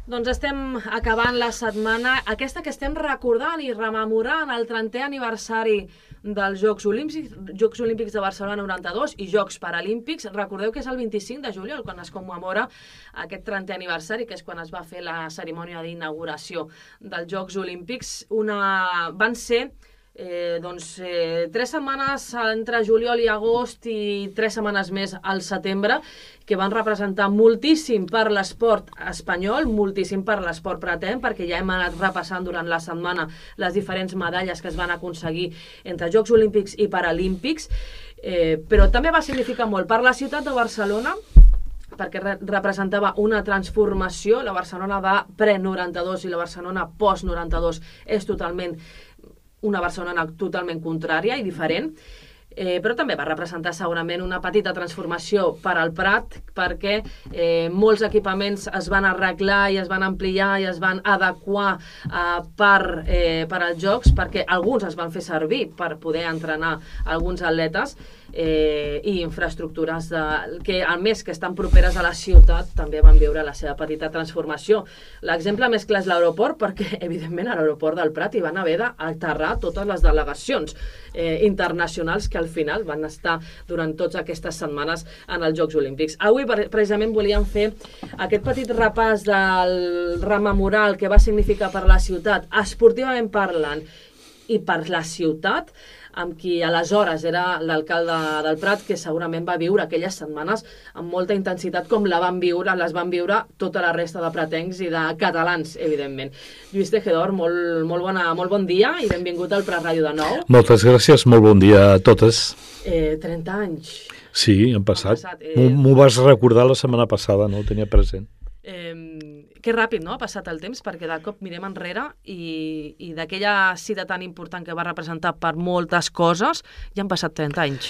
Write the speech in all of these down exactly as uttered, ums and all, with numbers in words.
Doncs estem acabant la setmana, aquesta que estem recordant i rememorant el trentè aniversari dels Jocs Olímpics, Jocs Olímpics de Barcelona noranta-dos i Jocs Paralímpics. Recordeu que és el vint-i-cinc de juliol quan es commemora aquest trentè aniversari, que és quan es va fer la cerimònia d'inauguració dels Jocs Olímpics. Una... Van ser Eh, doncs, eh, tres setmanes entre juliol i agost i tres setmanes més al setembre, que van representar moltíssim per l'esport espanyol, moltíssim per l'esport pretenc, perquè ja hem anat repassant durant la setmana les diferents medalles que es van aconseguir entre Jocs Olímpics i Paralímpics, eh, però també va significar molt per la ciutat de Barcelona, perquè re representava una transformació. La Barcelona de pre-noranta-dos i la Barcelona post-noranta-dos és totalment una Barcelona totalment contrària i diferent, eh, però també va representar segurament una petita transformació per al Prat, perquè eh, molts equipaments es van arreglar i es van ampliar i es van adequar eh, per, eh, per als Jocs, perquè alguns es van fer servir per poder entrenar alguns atletes, eh, i infraestructures de, que a més que estan properes a la ciutat també van viure la seva petita transformació. L'exemple més clar és l'aeroport, perquè evidentment a l'aeroport del Prat hi van haver d'aterrar totes les delegacions eh, internacionals que al final van estar durant totes aquestes setmanes en els Jocs Olímpics. Avui precisament volíem fer aquest petit repàs del rememorar el que va significar per la ciutat, esportivament parlant i per la ciutat, amb qui aleshores era l'alcalde del Prat, que segurament va viure aquelles setmanes amb molta intensitat com la van viure, les van viure tota la resta de pratencs i de catalans, evidentment. Lluís Tejedor, molt, molt, bona, molt bon dia i benvingut al Prat Ràdio de nou. Moltes gràcies, molt bon dia a totes. Eh, trenta anys. Sí, han passat. passat eh... M'ho vas recordar la setmana passada, no ho tenia present. Eh, que ràpid, no?, ha passat el temps, perquè de cop mirem enrere i, i d'aquella cita tan important que va representar per moltes coses, ja han passat trenta anys.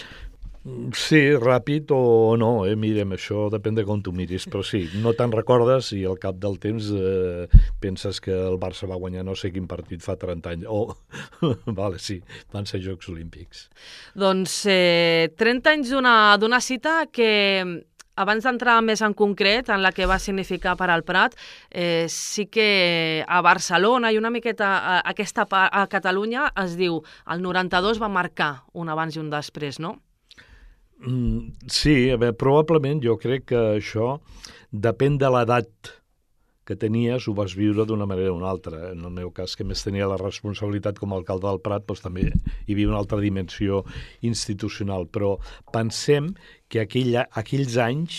Sí, ràpid o no, eh? Mirem, això depèn de com tu miris, però sí, no te'n recordes i al cap del temps eh, penses que el Barça va guanyar no sé quin partit fa trenta anys. Oh, vale, sí, van ser Jocs Olímpics. Doncs eh, trenta anys d'una cita que... Abans d'entrar més en concret en la que va significar per al Prat, eh, sí que a Barcelona i una miqueta a, aquesta a Catalunya es diu el noranta-dos va marcar un abans i un després, no? Mm, sí, a veure, probablement jo crec que això depèn de l'edat que tenies, ho vas viure d'una manera o una altra. En el meu cas, que més tenia la responsabilitat com a alcalde del Prat, doncs també hi havia una altra dimensió institucional. Però pensem que aquell, aquells anys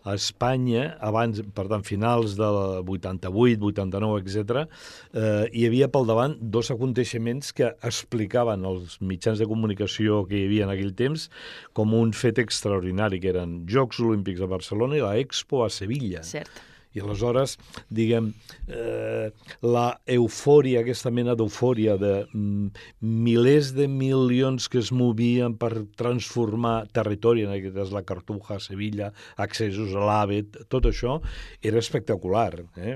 a Espanya, abans, per tant, finals del vuitanta-vuit, vuitanta-nou, etcètera, eh, hi havia pel davant dos aconteixements que explicaven els mitjans de comunicació que hi havia en aquell temps com un fet extraordinari, que eren Jocs Olímpics a Barcelona i la Expo a Sevilla. Cert. I aleshores, diguem, eh, la eufòria, aquesta mena d'eufòria de mm, milers de milions que es movien per transformar territori, en aquest cas la Cartuja, Sevilla, accessos a l'AVE, tot això era espectacular, eh?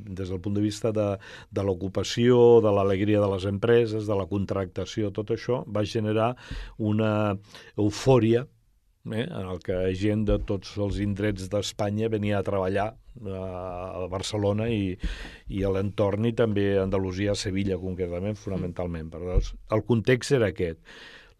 Des del punt de vista de, de l'ocupació, de l'alegria de les empreses, de la contractació, tot això va generar una eufòria, eh, en el que gent de tots els indrets d'Espanya venia a treballar a Barcelona i, i a l'entorn, i també a Andalusia, a Sevilla concretament, fonamentalment. Per tant, el context era aquest.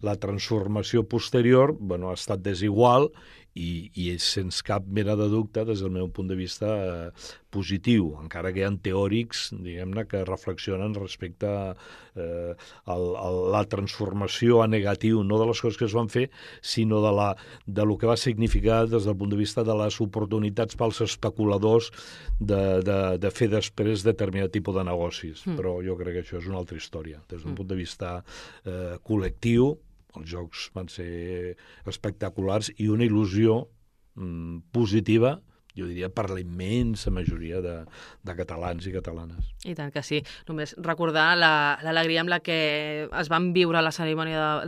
La transformació posterior, bueno, ha estat desigual i, i sens cap mena de dubte, des del meu punt de vista, eh, positiu, encara que hi ha teòrics, diguem-ne, que reflexionen respecte a, eh, a, a la transformació a negatiu, no de les coses que es van fer, sinó de, la, de lo que va significar des del punt de vista de les oportunitats pels especuladors de, de, de fer després determinat tipus de negocis. Mm. Però jo crec que això és una altra història. Des d'un mm. punt de vista eh, col·lectiu, els jocs van ser espectaculars i una il·lusió mm, positiva, jo diria, per la immensa majoria de, de catalans i catalanes. I tant que sí. Només recordar l'alegria amb la que es van viure la cerimònia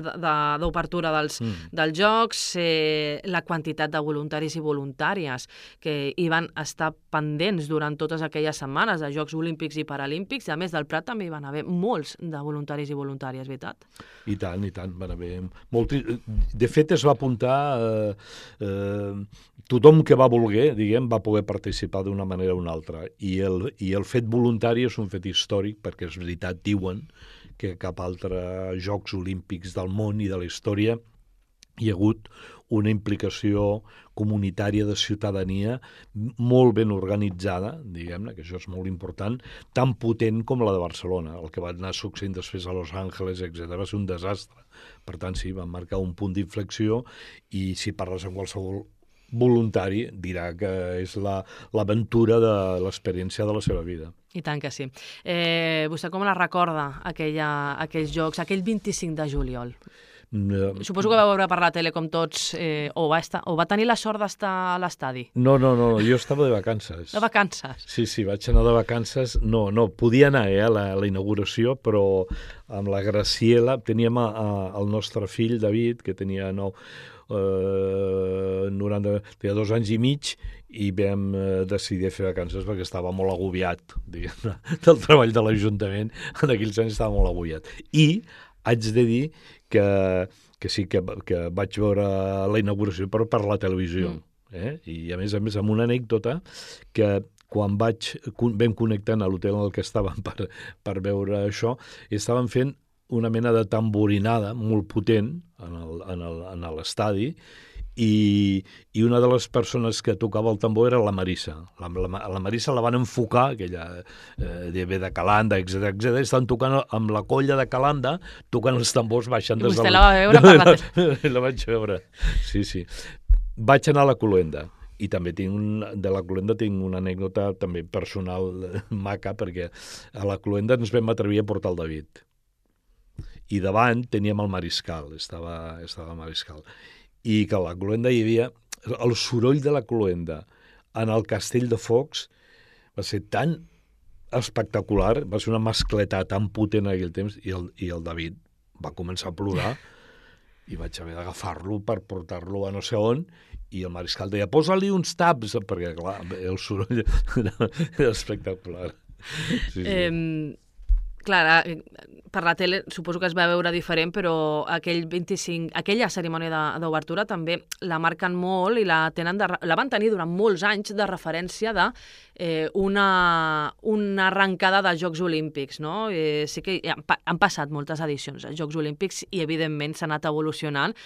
d'obertura de, de, dels, mm. dels Jocs, eh, la quantitat de voluntaris i voluntàries que hi van estar pendents durant totes aquelles setmanes de Jocs Olímpics i Paralímpics. A més del Prat també hi van haver molts de voluntaris i voluntàries, veritat? I tant, i tant. Van haver molti... De fet, es va apuntar eh, eh, tothom que va voler, diguem, diguem, va poder participar d'una manera o una altra. I el, i el fet voluntari és un fet històric, perquè és veritat, diuen que cap altre Jocs Olímpics del món i de la història hi ha hagut una implicació comunitària de ciutadania molt ben organitzada, diguem-ne, que això és molt important, tan potent com la de Barcelona. El que va anar succeint després a Los Angeles, etcètera, va ser un desastre. Per tant, sí, van marcar un punt d'inflexió i si parles amb qualsevol voluntari dirà que és la, l'aventura de l'experiència de la seva vida. I tant que sí. Eh, vostè com la recorda, aquella, aquells jocs, aquell vint-i-cinc de juliol? No. Suposo que va veure per la tele com tots, eh, o, va estar, o va tenir la sort d'estar a l'estadi. No, no, no, jo estava de vacances. De vacances? Sí, sí, vaig anar de vacances. No, no, podia anar eh, a, la, a la inauguració, però amb la Graciela teníem a, a, el nostre fill, David, que tenia nou, eh, noranta, tenia dos anys i mig, i vam eh, decidir fer vacances perquè estava molt agobiat, diguem-ne, del treball de l'Ajuntament. En aquells anys estava molt agobiat. I haig de dir que, que sí que, que vaig veure la inauguració per, per la televisió. Mm. Eh? I a més a més amb una anècdota que quan vaig, vam connectant a l'hotel en el que estàvem per, per veure això, estaven fent una mena de tamborinada molt potent en l'estadi, i, i una de les persones que tocava el tambor era la Marissa. La, la, la Marissa la van enfocar, aquella eh, de, de Calanda, etcètera, etcètera, estan tocant amb la colla de Calanda, tocant els tambors baixant des del... I vostè la va veure per la tele? La vaig veure, sí, sí. Vaig anar a la Cloenda, i també tinc un, de la Cloenda tinc una anècdota també personal maca, perquè a la Cloenda ens vam atrevir a portar el David. I davant teníem el Mariscal, estava, estava el Mariscal. I que a la Cloenda hi havia el soroll de la Cloenda en el Castell de Focs va ser tan espectacular, va ser una mascleta tan potent en aquell temps, i el, i el David va començar a plorar i vaig haver d'agafar-lo per portar-lo a no sé on, i el Mariscal deia, posa-li uns taps, perquè clar, el soroll era espectacular. Sí, sí. Eh, clar, per la tele suposo que es va veure diferent, però aquell vint-i-cinc, aquella cerimònia d'obertura també la marquen molt i la, tenen de, la van tenir durant molts anys de referència de eh, una, una arrencada de Jocs Olímpics, no? Eh, sí que han, han passat moltes edicions de Jocs Olímpics i evidentment s'ha anat evolucionant,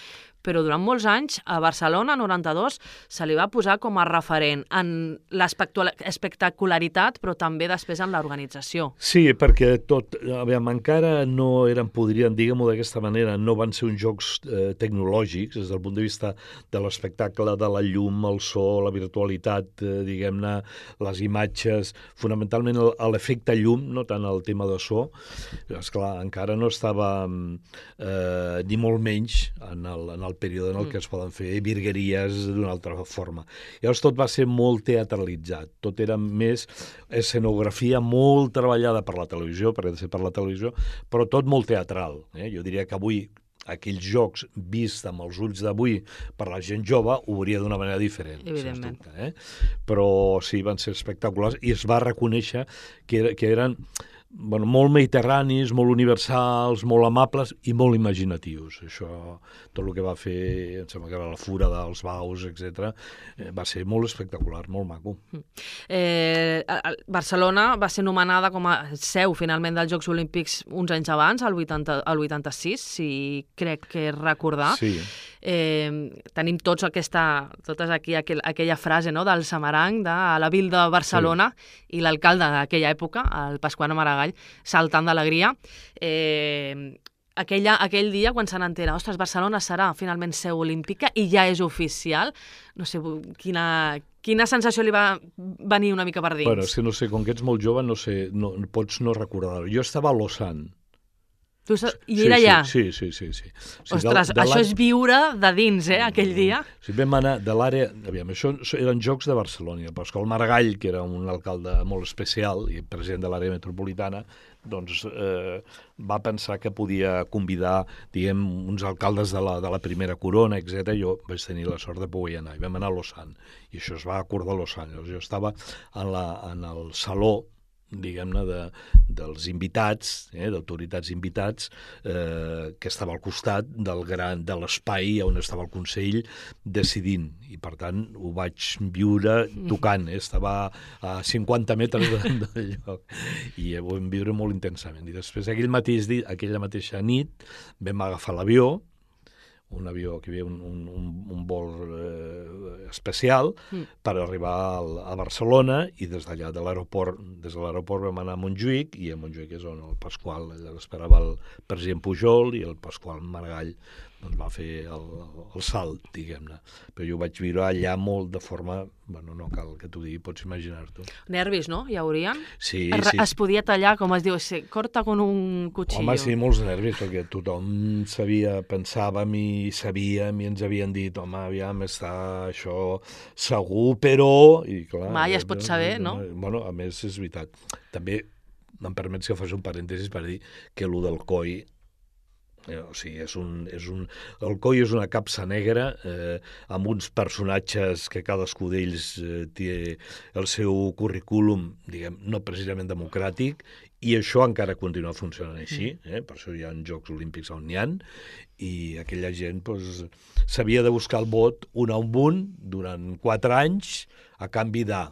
però durant molts anys a Barcelona, noranta-dos, se li va posar com a referent en l'espectacularitat, però també després en l'organització. Sí, perquè tot, aviam, encara no eren, podrien, diguem-ho d'aquesta manera, no van ser uns jocs eh, tecnològics, des del punt de vista de l'espectacle, de la llum, el so, la virtualitat, eh, diguem-ne, les imatges, fonamentalment l'efecte llum, no tant el tema de so. Esclar, encara no estava eh, ni molt menys en el, en el període en el que es poden fer virgueries d'una altra forma. Llavors tot va ser molt teatralitzat, tot era més escenografia molt treballada per la televisió, perquè ha de ser per la televisió, però tot molt teatral. Eh? Jo diria que avui aquells jocs vist amb els ulls d'avui per la gent jove ho veuria d'una manera diferent. Evidentment. Dubte, eh? Però sí, van ser espectaculars i es va reconèixer que, era, que eren bueno, molt mediterranis, molt universals, molt amables i molt imaginatius. Això, tot el que va fer, em sembla que era la Fura dels Baus, etcètera, eh, va ser molt espectacular, molt maco. Eh, Barcelona va ser nomenada com a seu, finalment, dels Jocs Olímpics uns anys abans, el vuitanta, el vuitanta-sis, si crec que recordar. Sí. Eh, tenim tots aquesta, totes aquí aquel, aquella frase, no?, del Samaranc, de la Vil de Barcelona, sí. I l'alcalde d'aquella època, el Pasqual Maragall, saltant d'alegria. Eh, aquella, aquell dia, quan se n'entera, ostres, Barcelona serà finalment seu olímpica i ja és oficial, no sé, quina, quina sensació li va venir una mica per dins? Bueno, és que no sé, com que ets molt jove, no sé, no, pots no recordar-ho. Jo estava a Lausanne. Tu, I era allà? Sí, sí, sí. sí, sí. Ostres, de, de això és viure de dins, eh, aquell dia. Sí, vam anar de l'àrea... Aviam, això eren Jocs de Barcelona. Pasqual Maragall, que era un alcalde molt especial i president de l'àrea metropolitana, doncs eh, va pensar que podia convidar, diguem, uns alcaldes de la, de la primera corona, etcètera. Jo vaig tenir la sort de poder anar. I vam anar a Lausanne. I això es va acordar a Lausanne. Jo estava en, la, en el saló diguem-ne, de, dels invitats, eh, d'autoritats invitats, eh, que estava al costat del gran, de l'espai on estava el Consell decidint. I, per tant, ho vaig viure tocant. Eh? Estava a cinquanta metres de, del lloc. I ho vam viure molt intensament. I després, aquell mateix dia, aquella mateixa nit, vam agafar l'avió, un avió que hi havia un, un, un vol eh, especial mm. per arribar al, a Barcelona, i des d'allà de l'aeroport des de l'aeroport vam anar a Montjuïc, i a Montjuïc és on el Pasqual, allà l'esperava el president Pujol, i el Pasqual Maragall doncs va fer el, el salt, diguem-ne. Però jo ho vaig viure allà molt de forma... Bueno, no cal que t'ho digui, pots imaginar-t'ho. Nervis, no? Hi haurien? Sí, es, sí. Es podia tallar, com es diu, se corta con un cuchillo. Home, sí, molts nervis, perquè tothom sabia, pensàvem i sabíem i ens havien dit, home, aviam, està això segur, però... I, clar, mai es pot saber, no? Bueno, a més, és veritat. També em permets que faci un parèntesis per dir que allò del C O I... Eh, o sigui, és un, és un, el C O I és una capsa negra eh, amb uns personatges que cadascú d'ells eh, té el seu currículum, diguem, no precisament democràtic, i això encara continua funcionant així, eh? Per això hi ha Jocs Olímpics on n'hi ha, i aquella gent doncs, s'havia de buscar el vot un a un un durant quatre anys a canvi de...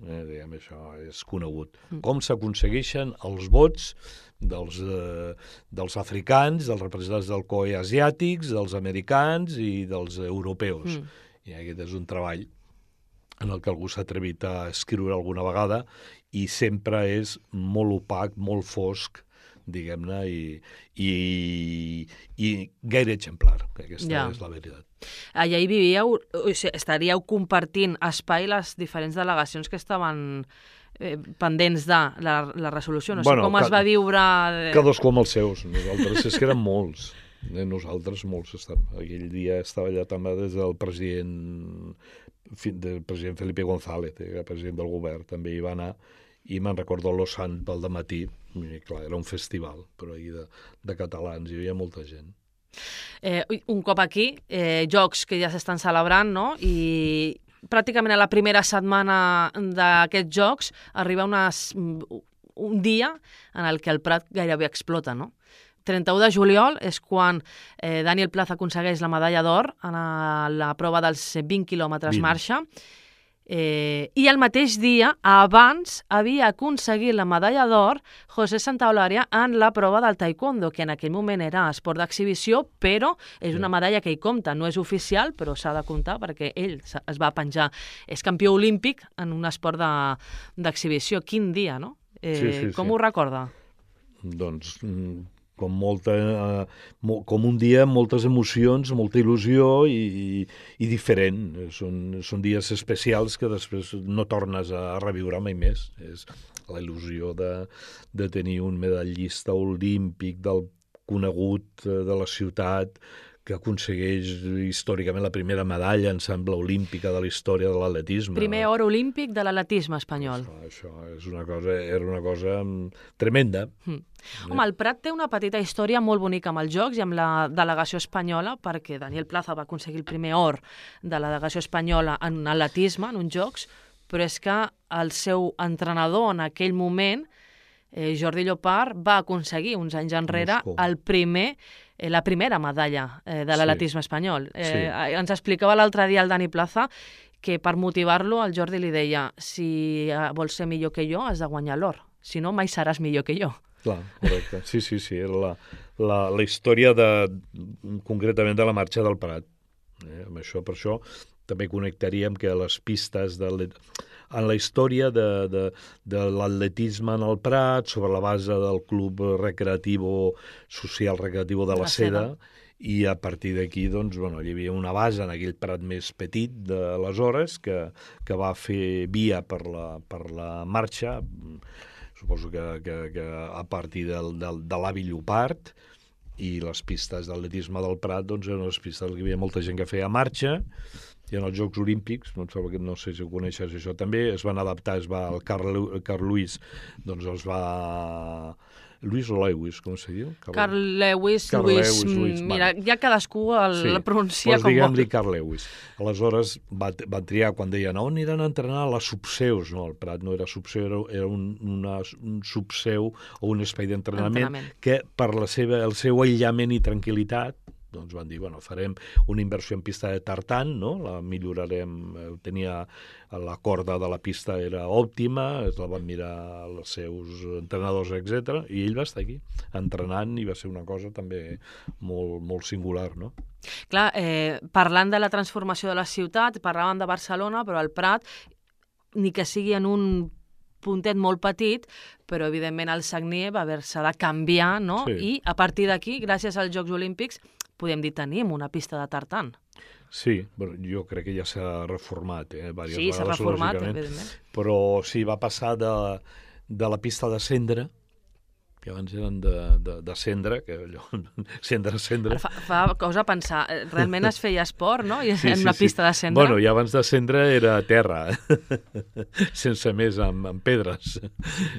Eh, diguem, això és conegut. Com s'aconsegueixen els vots dels, eh, dels africans, dels representants del C O I asiàtics, dels americans i dels europeus. Mm. I aquest és un treball en el que algú s'ha atrevit a escriure alguna vegada, i sempre és molt opac, molt fosc, diguem-ne, i, i, i gaire exemplar. Aquesta ja. És la veritat. Allà hi vivíeu, o sigui, estaríeu compartint espai les diferents delegacions que estaven eh, pendents de la, la resolució. No bueno, sé com ca, es va viure... Cadascú amb els seus. Nosaltres és que érem molts. Eh, nosaltres molts. Estàvem. Aquell dia estava allà també des del president, del president Felipe González, que era president del govern, també hi va anar, i me'n recordo a Lausanne pel dematí. I, clar, era un festival, però ahir de, de catalans, hi havia molta gent. Eh, un cop aquí, eh, jocs que ja s'estan celebrant, no? I pràcticament a la primera setmana d'aquests jocs arriba unes, un dia en el que el Prat gairebé explota, no? trenta-u de juliol és quan eh, Daniel Plaza aconsegueix la medalla d'or en la prova dels vint quilòmetres marxa. Eh, I el mateix dia, abans, havia aconseguit la medalla d'or José Santaolalla en la prova del taekwondo, que en aquell moment era esport d'exhibició, però és una medalla que hi compta. No és oficial, però s'ha de comptar perquè ell es va penjar. És campió olímpic en un esport d'exhibició. Quin dia, no? Eh, sí, sí, com sí. Ho recorda? Doncs... com molta, eh, com un dia amb moltes emocions, molta il·lusió i, i, i diferent. Són, són dies especials que després no tornes a reviure mai més. És la il·lusió de, de tenir un medallista olímpic del conegut de la ciutat que aconsegueix històricament la primera medalla, em sembla, olímpica de la història de l'atletisme. Primer or olímpic de l'atletisme espanyol. Això, això és una cosa, era una cosa tremenda. Mm. Home, el Prat té una petita història molt bonica amb els Jocs i amb la delegació espanyola, perquè Daniel Plaza va aconseguir el primer or de la delegació espanyola en atletisme, en uns Jocs, però és que el seu entrenador en aquell moment, eh, Jordi Llopart, va aconseguir uns anys enrere Moscou. el primer Eh, la primera medalla eh, de l'atletisme sí. espanyol. Eh, sí. Ens explicava l'altre dia el Dani Plaza que per motivar-lo el Jordi li deia si vols ser millor que jo has de guanyar l'or, si no mai seràs millor que jo. Clar, correcte. Sí, sí, sí. Era la, la, la història de, concretament de la marxa del Prat. Eh, amb això, per això també connectaríem que les pistes de en la història de, de, de l'atletisme en el Prat, sobre la base del Club Recreativo Social Recreativo de la, la Seda, Seda, i a partir d'aquí doncs, bueno, hi havia una base en aquell Prat més petit d'aleshores que, que va fer via per la, per la marxa, suposo que, que, que a partir del, del, de l'avi Llopart, i les pistes d'atletisme del Prat doncs, eren les pistes que hi havia molta gent que feia marxa. I en els Jocs Olímpics, no, no sé si ho coneixes això també, es van adaptar, es va, el Carl, Carl Lewis doncs es va Lewis o Lewis, com se diu? Carl Lewis, Carl Lewis, Lewis, Lewis, mira, vale. ja cadascú el Sí. pronuncia Pues com vol. diguem-li Carl Lewis. Aleshores va, va triar, quan deien on aniran a entrenar a les subseus, no, el Prat no era subseu, era, era un, una, un subseu o un espai d'entrenament Entrenament. que per la seva, el seu aïllament i tranquil·litat doncs van dir, bueno, farem una inversió en pista de tartan, no? La millorarem, eh, tenia la corda de la pista era òptima, es la van mirar els seus entrenadors, etcètera, i ell va estar aquí entrenant i va ser una cosa també molt, molt singular, no? Clar, eh, parlant de la transformació de la ciutat, parlàvem de Barcelona, però el Prat, ni que sigui en un puntet molt petit, però evidentment el Sagnier va haver-se de canviar, no? Sí. I a partir d'aquí, gràcies als Jocs Olímpics, podem dir tenim una pista de tartan. Sí, bueno, jo crec que ja s'ha reformat, eh, diverses Sí, s'ha vegades, reformat, lògicament, evidentment. però sí, va passar de, de la pista de cendra, que abans eren de, de, de cendra, que allò, cendra, cendra. Ara fa, fa cosa a pensar, eh, realment es feia esport, no? I Sí, en sí, una sí. pista de cendra. Bueno, i abans de cendra era terra, sense més, amb, amb pedres.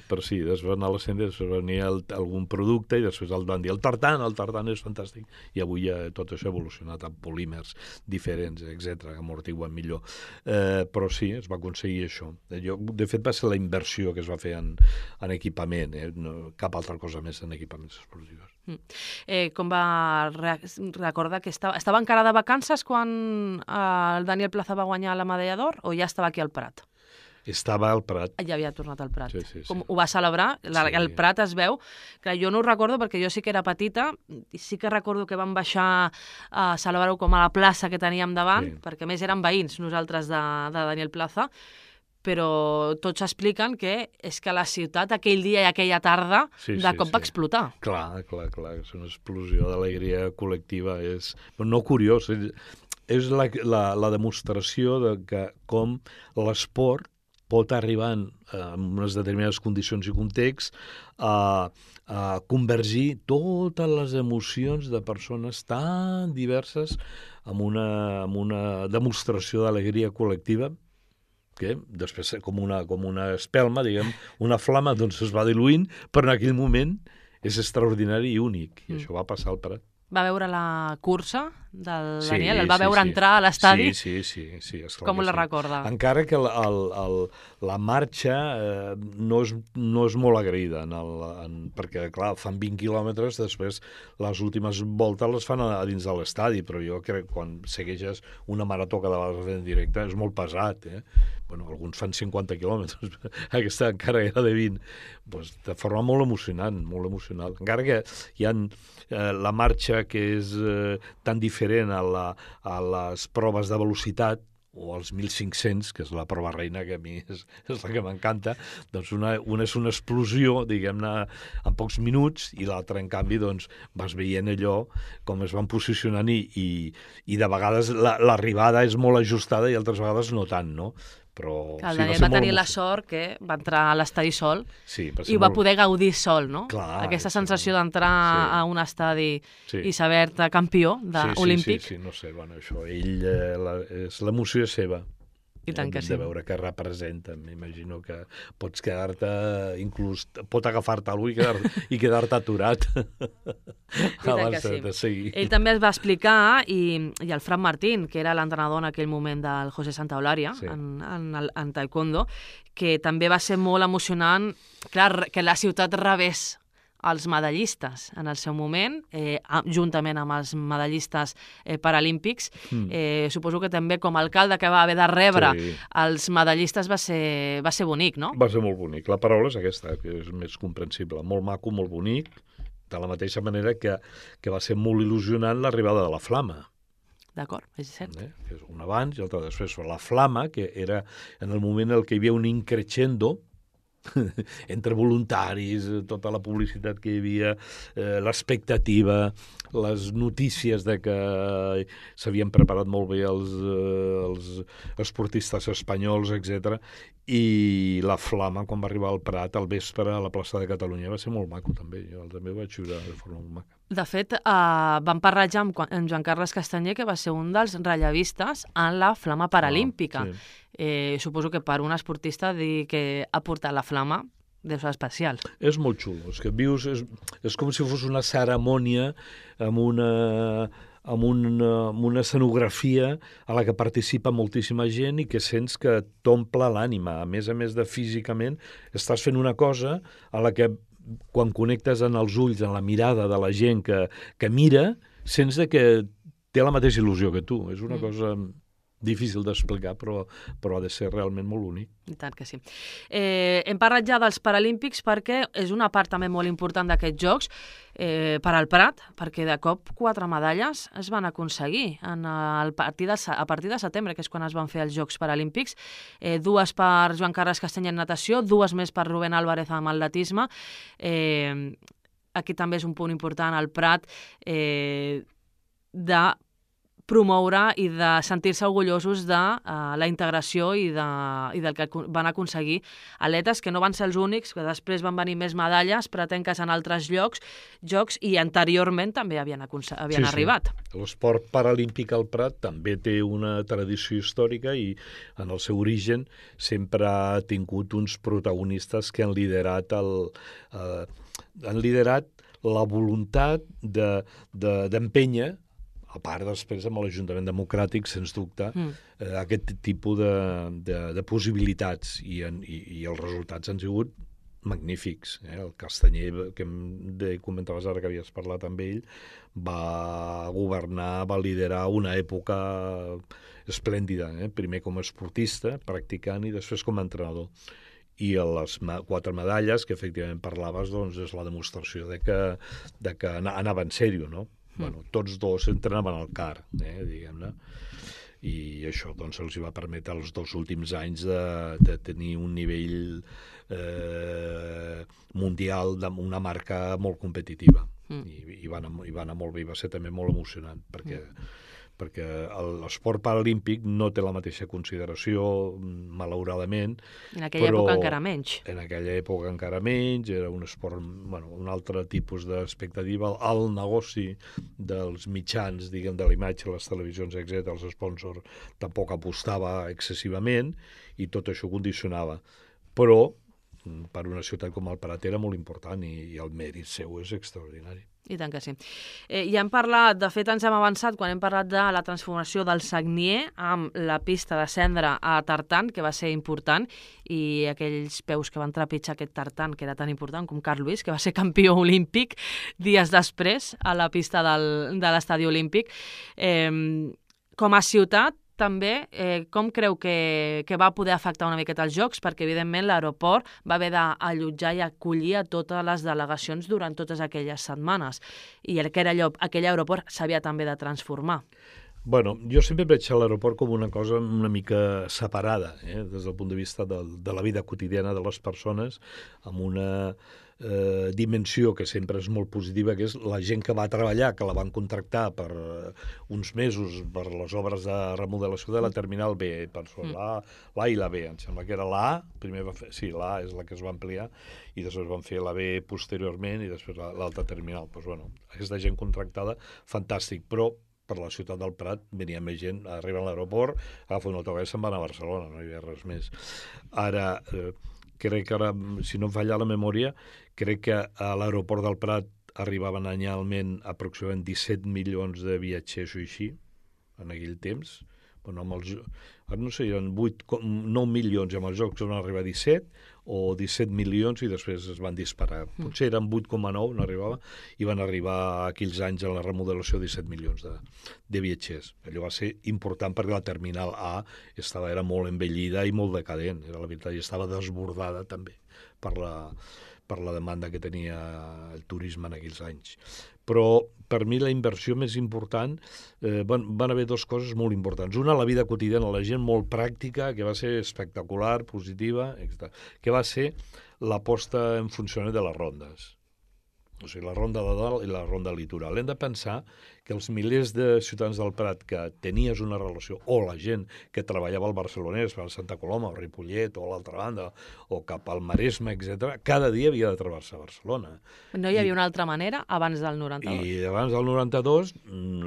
Però sí, després va anar a la cendra, després venia el, algun producte i després el van dir el tartan, el tartan és fantàstic. I avui ja tot això ha evolucionat amb polímers diferents, etcètera, que amortiguen millor. Eh, però sí, es va aconseguir això. Jo, de fet, va ser la inversió que es va fer en, en equipament, eh? No, cap altra cosa més en equipaments esportius. Mm. Eh, com va re recordar que estava, estava encara de vacances quan eh, el Daniel Plaza va guanyar la medalla d'or o ja estava aquí al Prat? Estava al Prat. Ja havia tornat al Prat. Sí, sí, sí. Com ho va celebrar? La, Sí. El Prat es veu. Clar, jo no ho recordo perquè jo sí que era petita i sí que recordo que vam baixar a celebrar-ho com a la plaça que teníem davant, Sí. perquè a més érem veïns nosaltres de, de Daniel Plaza, però tots expliquen que és que la ciutat aquell dia i aquella tarda Sí, de sí, cop sí. va explotar. Clar, clar, clar, és una explosió d'alegria col·lectiva, és no curiós, és, és la, la, la demostració de que com l'esport pot arribar en, en unes determinades condicions i context a, a convergir totes les emocions de persones tan diverses amb una, amb una demostració d'alegria col·lectiva que després, com una, com una espelma, diguem, una flama, doncs es va diluint, però en aquell moment és extraordinari i únic. I Mm. això va passar al Prat. Va veure la cursa del Sí, Daniel? El va sí, veure sí. entrar a l'estadi? Sí, sí, sí. sí esclar Com que la sí. recorda? Encara que el, el, el, la marxa eh, no, és, no és molt agraïda, en el, en, perquè, clar, fan vint quilòmetres, després les últimes voltes les fan a, a dins de l'estadi, però jo crec que quan segueixes una marató cada vegada en directe és molt pesat, eh? Bueno, alguns fan cinquanta quilòmetres, aquesta encara era de vint. Pues, de forma molt emocionant, molt emocional. Encara que hi ha eh, la marxa que és eh, tan diferent a, la, a les proves de velocitat, o els mil cinc-cents, que és la prova reina, que a mi és, és la que m'encanta, doncs una, una és una explosió, diguem-ne, en pocs minuts, i l'altra, en canvi, doncs, vas veient allò, com es van posicionant, i, i, i de vegades l'arribada és molt ajustada i altres vegades no tant, no? Però, Que el sí, Daniel ser va molt tenir la emocionant. sort que va entrar a l'estadi sol Sí, va ser i ho va molt- poder gaudir sol, no? Clar, Aquesta sí. sensació d'entrar Sí. a un estadi Sí. i saber-te campió de sí, sí, olímpic. Sí, sí, no sé, bueno, això, ell, eh, la, és, l'emoció és seva. I tant que Hem sí. de veure què representa. M'imagino que pots quedar-te, inclús pot agafar-te algú i quedar-te i quedar-te aturat tant abans que sí. de, de seguir. Ell també es va explicar, i, i el Fran Martín, que era l'entrenador en aquell moment del José Santaolalla, Sí. sí. en, en, el- en taekwondo, que també va ser molt emocionant, clar, que la ciutat rebés els medallistes en el seu moment, eh, a- juntament amb els medallistes eh, paralímpics. Mm. Eh, suposo que també com a alcalde que va haver de rebre Sí. els medallistes va ser, va ser bonic, no? Va ser molt bonic. La paraula és aquesta, que és més comprensible. Molt maco, molt bonic, de la mateixa manera que, que va ser molt il·lusionant l'arribada de la flama. D'acord, és cert. Eh? Que és un abans i l'altre després. La flama, que era en el moment en què hi havia un increixendo entre voluntaris, tota la publicitat que hi havia, eh, l'expectativa, les notícies de que s'havien preparat molt bé els, eh, els esportistes espanyols, etcètera. I la flama, quan va arribar al Prat, al vespre, a la plaça de Catalunya, va ser molt maco, també. Jo també ho vaig viure de forma molt maca. De fet, eh, vam parlar ja amb, amb Joan Carles Castanyer, que va ser un dels rellevistes en la flama paralímpica. Ah, sí. Eh, suposo que per un esportista dir que ha portat la flama deu ser especial. És molt xulo, és que vius, és, és com si fos una cerimònia amb una, amb, una, amb una escenografia a la que participa moltíssima gent i que sents que t'omple l'ànima. A més a més de físicament, estàs fent una cosa a la que quan connectes en els ulls, en la mirada de la gent que, que mira, sents de que té la mateixa il·lusió que tu. És una mm. cosa difícil d'explicar, però, però ha de ser realment molt únic. I tant que sí. Eh, hem parlat ja dels Paralímpics perquè és una part també molt important d'aquests Jocs eh, per al Prat, perquè de cop quatre medalles es van aconseguir en el partir de, a partir de setembre, que és quan es van fer els Jocs Paralímpics. Eh, dues per Joan Carles Castany en natació, dues més per Rubén Álvarez amb atletisme. Eh, aquí també és un punt important al Prat eh, de promoure i de sentir-se orgullosos de uh, la integració i, de, i del que van aconseguir atletes que no van ser els únics, que després van venir més medalles pretenques en altres llocs, jocs i anteriorment també havien, havien sí, arribat. Sí. L'esport paralímpic al Prat també té una tradició històrica i en el seu origen sempre ha tingut uns protagonistes que han liderat, el, uh, han liderat la voluntat de, de, d'empènyer, a part després amb l'Ajuntament Democràtic, sens dubte, mm. eh, aquest tipus de, de, de possibilitats i, en, i, i els resultats han sigut magnífics. Eh? El Castanyer, que em comentaves ara que havies parlat amb ell, va governar, va liderar una època esplèndida, eh? Primer com a esportista, practicant, i després com a entrenador. I les quatre medalles que efectivament parlaves, doncs és la demostració de que, de que anava en sèrio, no? Bueno, tots dos entrenaven al C A R, eh, diguem-ne, i això doncs, els va permetre els dos últims anys de, de tenir un nivell eh, mundial d'una marca molt competitiva. Mm. I, i, va anar, i va anar molt bé, i va ser també molt emocionant, perquè... Mm. perquè l'esport paralímpic no té la mateixa consideració, malauradament. En aquella però època encara menys. En aquella època encara menys, era un esport, bueno, un altre tipus d'expectativa. El negoci dels mitjans, diguem, de l'imatge, les televisions, etcètera, els sponsors, tampoc apostava excessivament i tot això condicionava. Però, per una ciutat com el Prat era molt important i, i el mèrit seu és extraordinari. I tant que sí. Eh, ja hem parlat, de fet ens hem avançat quan hem parlat de la transformació del Sagnier amb la pista de cendra a tartan, que va ser important, i aquells peus que van trepitjar aquest tartan, que era tan important com Carl Lewis, que va ser campió olímpic dies després a la pista del, de l'estadi olímpic. Eh, com a ciutat, també, eh, com creu que, que va poder afectar una miqueta els Jocs? Perquè, evidentment, l'aeroport va haver d'allotjar i acollir a totes les delegacions durant totes aquelles setmanes. I aquell, aquell aeroport s'havia també de transformar. Bueno, jo sempre veig l'aeroport com una cosa una mica separada, eh, des del punt de vista de, de la vida quotidiana de les persones, amb una eh, dimensió que sempre és molt positiva, que és la gent que va treballar, que la van contractar per uh, uns mesos per les obres de remodelació de la Terminal B, per mm. l'A, l'A i la B. Em sembla que era l'A, primer va fer, sí, l'A és la que es va ampliar, i després van fer la B posteriorment i després l'altra terminal. Pues, bueno, aquesta gent contractada, fantàstic, però per la ciutat del Prat venia més gent, arriba a l'aeroport, agafa un autobús i se'n van a Barcelona, no hi havia res més. Ara, eh, crec que ara, si no em falla la memòria, crec que a l'aeroport del Prat arribaven anyalment aproximadament disset milions de viatgers o així, en aquell temps. Bueno, amb els, ara no sé, eren vuit, nou milions, i amb els Jocs van arribar a disset, o disset milions, i després es van disparar. Potser eren vuit coma nou, no arribava, i van arribar aquells anys a la remodelació disset milions de, de viatgers. Allò va ser important perquè la Terminal A estava, era molt envellida i molt decadent, era la veritat, i estava desbordada també per la, per la demanda que tenia el turisme en aquells anys. Però per mi la inversió més important, eh, van, van haver dues coses molt importants. Una, la vida quotidiana, la gent molt pràctica, que va ser espectacular, positiva, etcètera, que va ser la posta en funcionament de les rondes. O sigui, la ronda de dalt i la ronda litoral. Hem de pensar que els milers de ciutadans del Prat que tenies una relació, o la gent que treballava al Barcelonès, per Santa Coloma, o Ripollet, o a l'altra banda, o cap al Maresme, etcètera, cada dia havia de travessar Barcelona. No hi havia I, una altra manera abans del noranta-dos? I abans del noranta-dos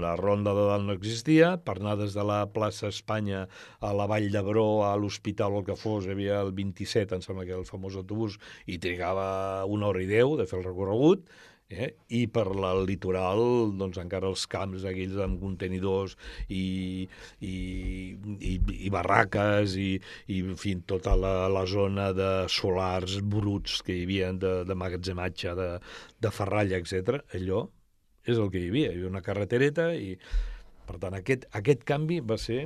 la Ronda de Dalt no existia, per anar des de la plaça Espanya a la Vall d'Hebron, a l'hospital o el que fos, hi havia el vint-i-set, em sembla que era el famós autobús, i trigava una hora i deu de fer el recorregut, Eh? I per al litoral, doncs encara els camps aquells amb contenidors i, i, i, i barraques i, i en fi, tota la, la zona de solars bruts que hi havia de, de magatzematge, de, de ferralla, etcètera. Allò és el que hi havia. Hi havia una carretereta i, per tant, aquest, aquest canvi va ser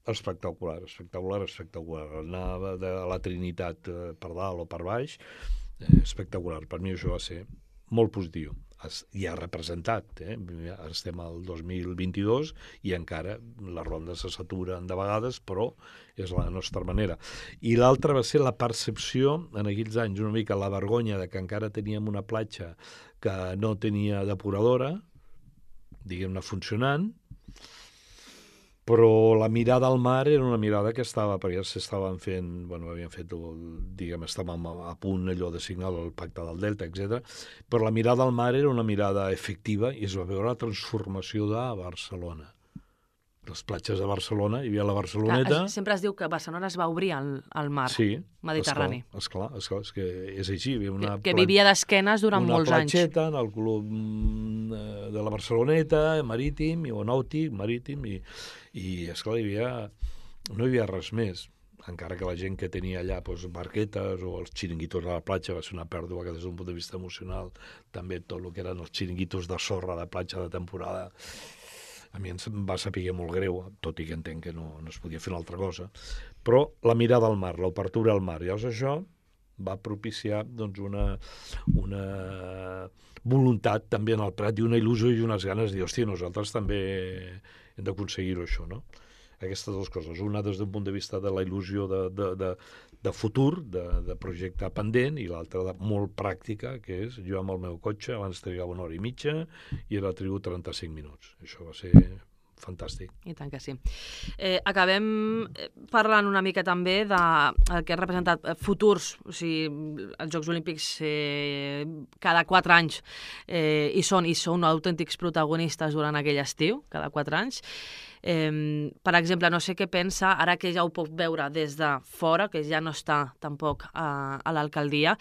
espectacular, espectacular, espectacular. Anava de la Trinitat per dalt o per baix, espectacular. Per mi això va ser molt positiu. I ha representat, eh? Estem al dos mil vint-i-dos i encara les rondes se saturen de vegades, però és la nostra manera. I l'altra va ser la percepció, en aquells anys, una mica la vergonya de que encara teníem una platja que no tenia depuradora, diguem-ne, funcionant, però la mirada al mar era una mirada que estava, perquè ja s'estaven fent, bueno, havien fet, diguem, estàvem a punt allò de signar el Pacte del Delta, etcètera, però la mirada al mar era una mirada efectiva i es va veure la transformació de Barcelona. Les platges de Barcelona, hi havia la Barceloneta... Clar, sempre es diu que Barcelona es va obrir al, al mar sí, Mediterrani. Sí, esclar, esclar, és que és així. Una que, que vivia d'esquenes durant molts anys. Una platxeta en el club de la Barceloneta, marítim, o nàutic, marítim, i, i esclar, hi havia, no hi havia res més. Encara que la gent que tenia allà doncs, barquetes o els xiringuitos a la platja va ser una pèrdua que des d'un punt de vista emocional també tot el que eren els xiringuitos de sorra de platja de temporada a mi em va saber molt greu, tot i que entenc que no, no es podia fer una altra cosa, però la mirada al mar, l'obertura al mar, llavors això va propiciar doncs, una, una voluntat també en el Prat i una il·lusió i unes ganes de dir, hòstia, nosaltres també hem d'aconseguir-ho això, no? Aquestes dues coses, una des d'un punt de vista de la il·lusió de, de, de, de futur, de, de projecte pendent, i l'altra de molt pràctica, que és jo amb el meu cotxe abans trigava una hora i mitja i ara trigo trenta-cinc minuts. Això va ser fantàstic. I tant que sí. Eh, acabem parlant una mica també del que han representat futurs, o sigui, els Jocs Olímpics eh, cada quatre anys eh, hi són, i són autèntics protagonistes durant aquell estiu, cada quatre anys. Eh, per exemple, no sé què pensa, ara que ja ho puc veure des de fora, que ja no està tampoc a, a l'alcaldia,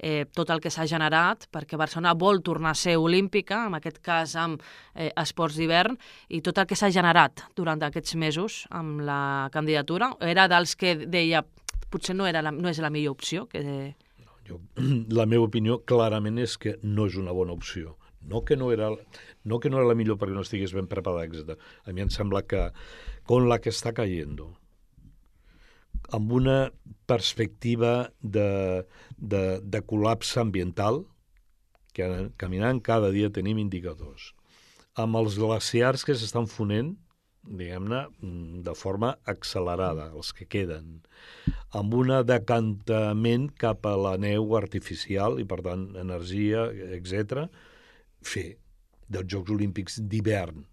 eh, tot el que s'ha generat, perquè Barcelona vol tornar a ser olímpica, en aquest cas amb eh, esports d'hivern, i tot el que s'ha generat durant aquests mesos amb la candidatura, era dels que deia potser no, era la, no és la millor opció. Que... No, jo, la meva opinió clarament és que no és una bona opció. No que no era, no que no era la millor perquè no estigués ben preparada, etcètera. A mi em sembla que con la que està cayendo, amb una perspectiva de, de, de col·lapse ambiental, que caminant cada dia tenim indicadors, amb els glaciars que s'estan fonent, diguem-ne, de forma accelerada, els que queden, amb un decantament cap a la neu artificial i, per tant, energia, etcètera, fer dels Jocs Olímpics d'hivern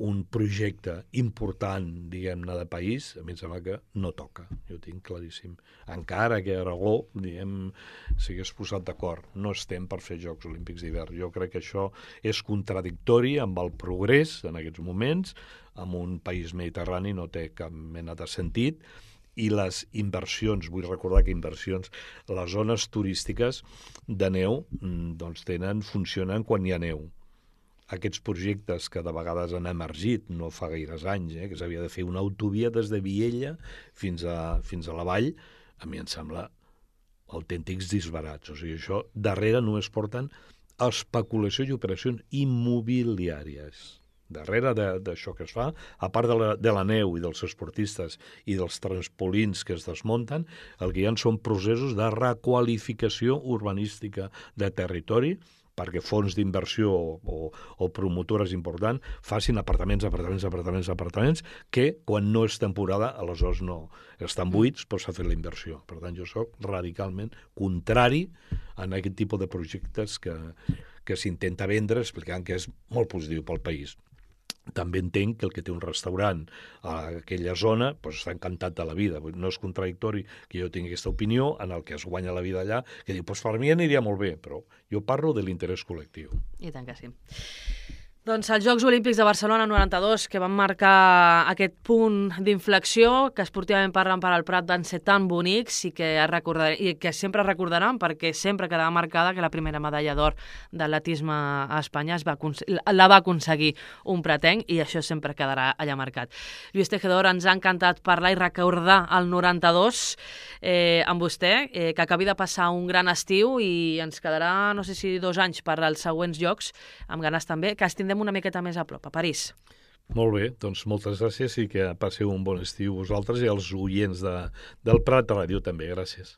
un projecte important, diguem-ne, de país, a mi em sembla que no toca, jo ho tinc claríssim. Encara que Aragó, diguem, s'hagués posat d'acord, no estem per fer Jocs Olímpics d'hivern. Jo crec que això és contradictori amb el progrés en aquests moments, amb un país mediterrani no té cap mena de sentit, i les inversions, vull recordar que inversions, les zones turístiques de neu doncs tenen, funcionen quan hi ha neu. Aquests projectes que de vegades han emergit, no fa gaires anys, eh, que s'havia de fer una autovia des de Viella fins a, fins a la vall, a mi em sembla autèntics disbarats. O sigui, això darrere només porten especulació i operacions immobiliàries. Darrere d'això que es fa, a part de la, de la neu i dels esportistes i dels transpolins que es desmunten, el que hi ha són processos de requalificació urbanística de territori perquè fons d'inversió o, o, o promotores importants facin apartaments, apartaments, apartaments, apartaments, que quan no és temporada, aleshores no estan buits, però s'ha fet la inversió. Per tant, jo soc radicalment contrari a aquest tipus de projectes que, que s'intenta vendre explicant que és molt positiu pel país. també entenc que el que té un restaurant a aquella zona doncs està encantat de la vida. No és contradictori que jo tingui aquesta opinió en el que es guanya la vida allà, que diu, doncs per mi aniria molt bé, però jo parlo de l'interès col·lectiu. I tant que sí. Doncs els Jocs Olímpics de Barcelona noranta-dos, que van marcar aquest punt d'inflexió, que esportivament parlant per al Prat van ser tan bonics i que, i que sempre recordaran, perquè sempre quedava marcada que la primera medalla d'or d'atletisme a Espanya es va, la va aconseguir un pratenc, i això sempre quedarà allà marcat. Lluís Tejedor, ens ha encantat parlar i recordar el noranta-dos eh, amb vostè, eh, que acabi de passar un gran estiu i ens quedarà, no sé si dos anys per als següents Jocs, amb ganes també, que estindem una miqueta més a prop, a París. Molt bé, doncs moltes gràcies i que passeu un bon estiu vosaltres i els oients de, del Prat Ràdio també. Gràcies.